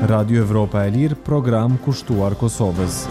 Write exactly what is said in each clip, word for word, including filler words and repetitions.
Radio Evropa e Lirë, program kushtuar Kosovës.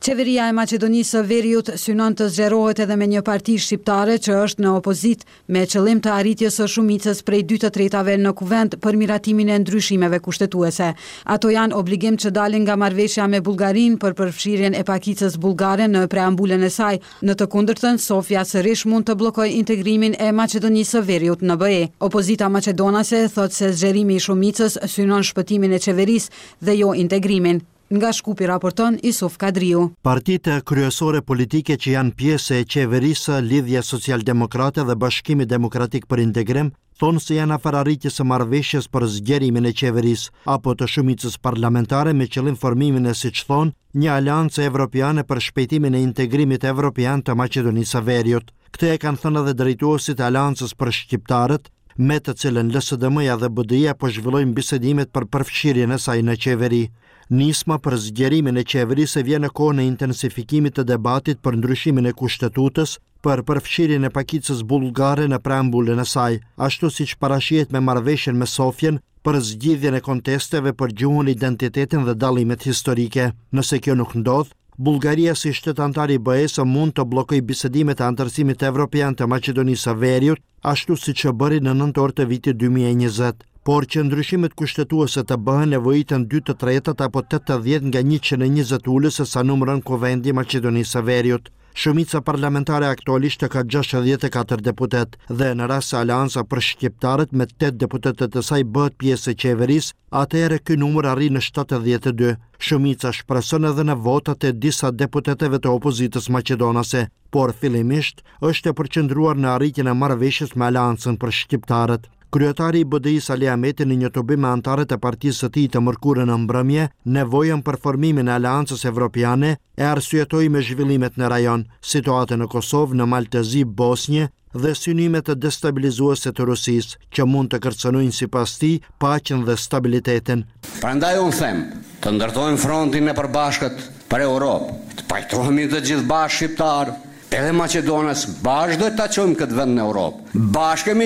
Qeveria e Maqedonisë së Veriut synon të zgjerohet edhe me një parti shqiptare që është në opozitë, me qëllim të arritjes së shumicës prej dy të tretave në Kuvend për miratimin e ndryshimeve kushtetuese. Ato janë obligim që dalin nga marrëveshja me Bullgarinë për përfshirjen e pakicës bullgare në preambulën e saj. Në të kundërtën, Sofja sërish mund të bllokojë integrimin e Maqedonisë së Veriut në B E. Opozita maqedonase thotë se zgjerimi i shumicës synon shpëtimin e qeverisë dhe jo integrimin. Nga Shkupi raporton Isuf Kadriu. Partitë kryesore politike që janë pjesë e qeverisë, Lidhja Socialdemokrate dhe Bashkimi Demokratik për Integrim, thonë se janë afër arritjes së marrëveshjes për zgjerimin e qeverisë apo të shumicës parlamentare me qëllim formimin e, siç thonë, një aleancë evropiane për shpejtimin e integrimit evropian të Maqedonisë së Veriut. Këtë e kanë thënë edhe drejtuesit e Aleancës për Shqiptarët, me të cilën L S D M-ja dhe B D I-ja po zhvillojnë bisedimet për përfshirjen e saj në qeveri. Nisma për zgjerimin e qeverisë vjen në kohën e intensifikimit të debatit për ndryshimin e kushtetutës për përfshirjen e pakicës bullgare në preambulën e saj, ashtu siç parashihet me marrëveshjen me Sofjen për zgjidhjen e kontesteve për gjuhën, identitetin dhe dallimet historike. Nëse kjo nuk ndodh, Bullgaria si shtet antar i B E-së mund të bllokojë bisedimet e antarësimit evropian të Maqedonisë së Veriut, ashtu siç e bëri në nëntor të vitit dy mijë e njëzet. Por që ndryshimet kushtetuese të bëhen nevojiten dy të tretat apo tetëdhjetë nga njëqind e njëzet ulës se sa numëron Kuvendi i Maqedonisë së Veriut. Shumica parlamentare aktualisht ka gjashtëdhjetë e katër deputet dhe në rast se Aleanca për Shqiptarët me tetë deputetët e saj bëhet pjesë e qeverisë, atëherë ky numër arrin në shtatëdhjetë e dy. Shumica shpreson edhe në votat e disa deputetëve të opozitës maqedonase, por fillimisht është e përqendruar në arritjen e marrëveshjes me Aleancën për Shqiptarët. Kryetari i B D I-së Ali Ahmeti në një tubim me antarët e partisë së tij të mërkurën në mbrëmje, nevojën për formimin e Aleancës Evropiane e arsyetoi me zhvillimet në rajon, situatën në Kosovë, në Mal të Zi, Bosnjë dhe synimet e destabilizuese të Rusisë, që mund të kërcënojnë sipas tij paqen dhe stabilitetin. Prandaj unë them, të ndërtojmë frontin e përbashkët për Europë, të pajtohemi të gjithë bashkë shqiptar, edhe maqedonas, bashkë do ta çojmë këtë vend në Europë. Bashkë kemi,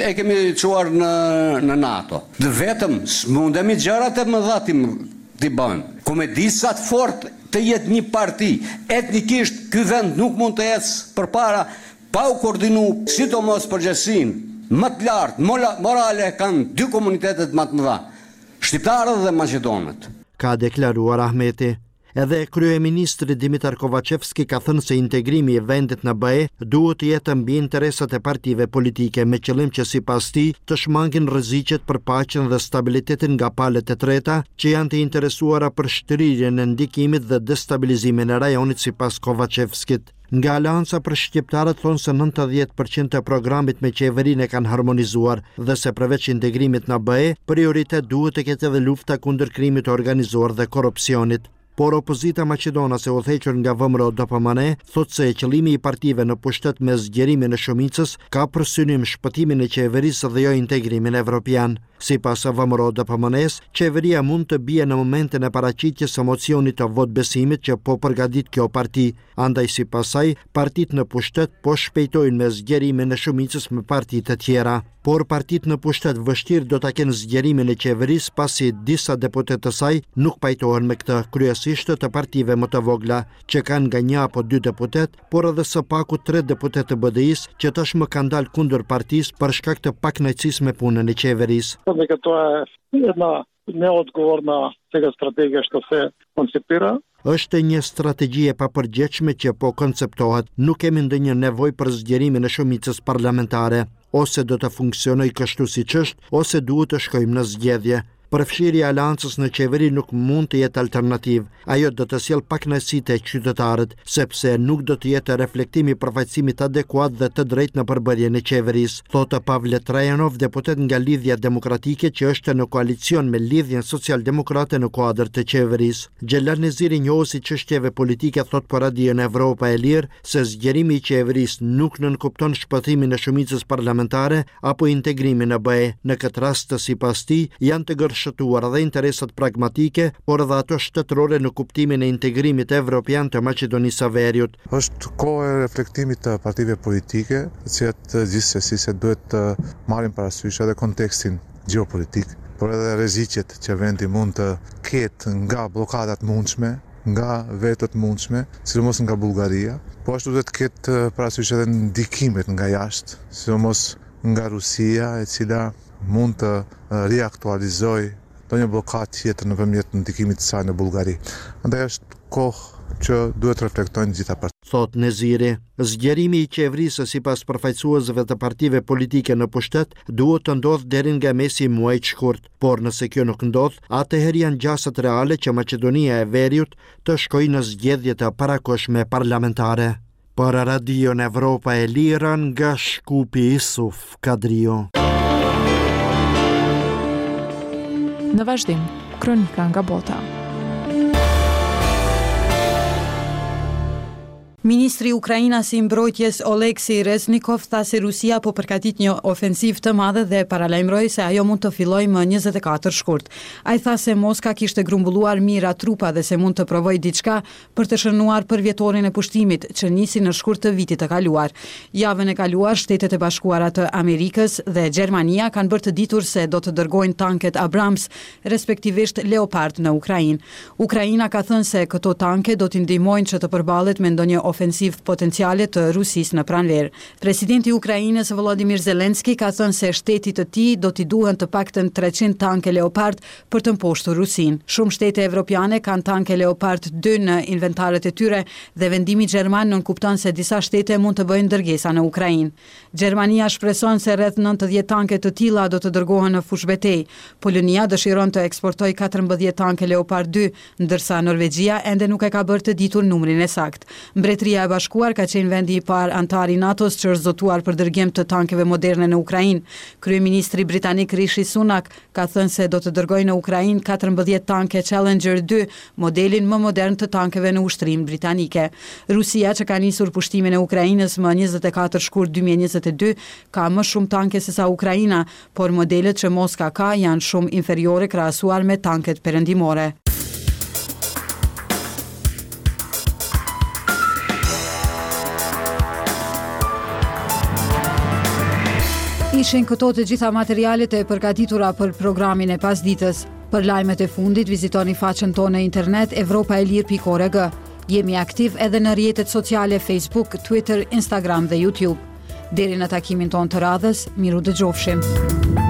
e kemi çuar në, në NATO. Dhe vetëm s'mundemi gjërat e mëdha t'i, t'i bëjmë. Ku me di sa të fort të jetë një parti, etnikisht ky vend nuk mund të ecë përpara pa u koordinu, sidomos përgjegjësinë më të lartë morale kanë dy komunitetet më të mëdha, shqiptarët dhe maqedonët. Ka deklaruar Ahmeti. Edhe kryeministri Dimitar Kovačevski ka thënë se integrimi i vendit në B E duhet të jetë mbi interesat e partive politike, me qëllim që sipas tij të shmangin rreziqet për paqen dhe stabilitetin nga palët e treta që janë të interesuara për shtrirjen e ndikimit dhe destabilizimin e rajonit sipas Kovačevskit. Nga Aleanca për Shqiptarët thonë se nëntëdhjetë përqind të programit me qeverinë e kanë harmonizuar dhe se përveç integrimit në B E, prioritet duhet të ketë edhe lufta kundër krimit të organizuar dhe korrupsionit. Por opozita maqedonase udhëhequr nga V M R O D P M N thotë se qëllimi i partive në pushtet me zgjerimin e shumicës ka për synim shpëtimin e qeverisë dhe jo integrimin evropian. Sipas V M R O D P M N-s, qeveria mund të bie në momentin e paraqitjes së mocionit të votbesimit që po përgatit kjo parti. Andaj sipas saj, partitë në pushtet po shpejtojnë me zgjerimin e shumicës me partitë e tjera. Por partitë në pushtet vështirë do ta kenë zgjerimin e qeverisë pasi disa deputetë të saj nuk pajtohen me këtë, kryesisht të partive më të vogla, që kanë nga një apo dy deputet, por edhe së paku tre deputetë të B D I-së që tashmë kanë dalë kundër partisë për shkak të pakënaqësisë me punën e qeverisë. Дека тоа е една неодговорна сега стратегија што се концепира. Është një strategji e papërgjegjshme që po konceptohet. Nuk kemi ndonjë nevojë për zgjerimin e shumicës parlamentare. Ose do të funksionojë kështu siç është, ose duhet të shkojmë në zgjedhje. Përfshirja e aleancës në qeveri nuk mund të jetë alternativë. Ajo do të sjellë pakënaqësi te qytetarët, sepse nuk do të jetë reflektimi i përfaqësimit adekuat dhe të drejtë në përbërjen e qeverisë, thotë Pavle Trajanov, deputet nga Lidhja Demokratike që është në koalicion me Lidhjen Socialdemokrate në kuadër të qeverisë. Xhelal Neziri, njohës i çështjeve politike, thotë për Radion Evropa e Lirë se zgjerimi i qeverisë nuk nënkupton shpëtimin e shumicës parlamentare apo integrimin në B E. Në këtë rast, sipas tij, janë të gërshëtuar edhe interesat pragmatike, por edhe ato shtetërore në kuptimin e integrimit evropian të Maqedonisë së Veriut. Është kohë e reflektimit të partive politike, të cilat gjithsesi se duhet të marrin parasysh edhe kontekstin gjeopolitik, por edhe rreziqet që vendi mund të ketë nga bllokadat mundshme, nga vetot mundshme, sidomos nga Bullgaria. Po ashtu duhet të ketë parasysh edhe ndikimet nga jashtë, sidomos nga Rusia, e cila mund të riaktualizojë ndonjë bllokadë tjetër nëpërmjet ndikimit të saj në Bullgari. Andaj është kohë që duhet të reflektojnë të gjitha partitë. Thotë Neziri. Zgjerimi i qeverisë sipas përfaqësuesve të partive politike në pushtet duhet të ndodhë deri nga mesi i muajit shkurt, por nëse kjo nuk ndodh, atëherë janë gjasat reale që Maqedonia e Veriut të shkojë në zgjedhje të parakohshme parlamentare. Për Radion Evropa e Lirë nga Shkupi, Isuf Kadriu. Në vazhdim, kronika nga bota. Ministri ukrainas i mbrojtjes Oleksiy Reznikov tha se Rusia po përgatit një ofensivë të madhe dhe paralajmëroi se ajo mund të fillojë më njëzet e katër shkurt. Ai tha se Moska kishte grumbulluar mijëra trupa dhe se mund të provojë diçka për të shënuar përvjetorin e pushtimit, që nisi në shkurt të vitit të kaluar. Javën e kaluar, Shtetet e Bashkuara të Amerikës dhe Gjermania kanë bërë të ditur se do të dërgojnë tanket Abrams, respektivisht Leopard në Ukrainë. Ukraina ka thënë se këto tanke do t'i ndihmojnë që të përballet me ndonjë ofensivë potenciale të Rusisë në pranverë. Presidenti i Ukrainës Volodymyr Zelensky ka thënë se shtetit të tij do t'i duhen të paktën treqind tanke Leopard për të mposhtur Rusinë. Shumë shtete evropiane kanë tanke Leopard dy në inventarët e tyre dhe vendimi gjerman nënkupton se disa shtete mund të bëjnë dërgesa në Ukrainë. Gjermania shpreson se rreth nëntëdhjetë tanke të tilla do të dërgohen në fushëbetejë. Polonia dëshiron të eksportojë katërmbëdhjetë tanke Leopard dy, ndërsa Norvegjia ende nuk e ka bërë të ditur numrin e saktë. Mbretëria e Bashkuar ka qenë vendi i parë anëtar i NATO-s që është zotuar për dërgim të tankeve moderne në Ukrainë. Kryeministri britanik Rishi Sunak ka thënë se do të dërgojë në Ukrainë katërmbëdhjetë tanke Challenger dy, modelin më modern të tankeve në ushtrinë britanike. Rusia, që ka nisur pushtimin e Ukrainës më njëzet e katër shkurt dy mijë e njëzet e dy, ka më shumë tanke sesa Ukraina, por modelet që Moska ka janë shumë inferiore krahasuar me tanket perëndimore. Ishin këto të gjitha materialet e përgatitura për programin e pasditës. Për lajmet e fundit vizitoni faqen tonë në internet evropa e lirë pikë org. Jemi aktiv edhe në rrjetet sociale Facebook, Twitter, Instagram dhe YouTube. Deri në takimin tonë të radhës, miru dëgjofshim.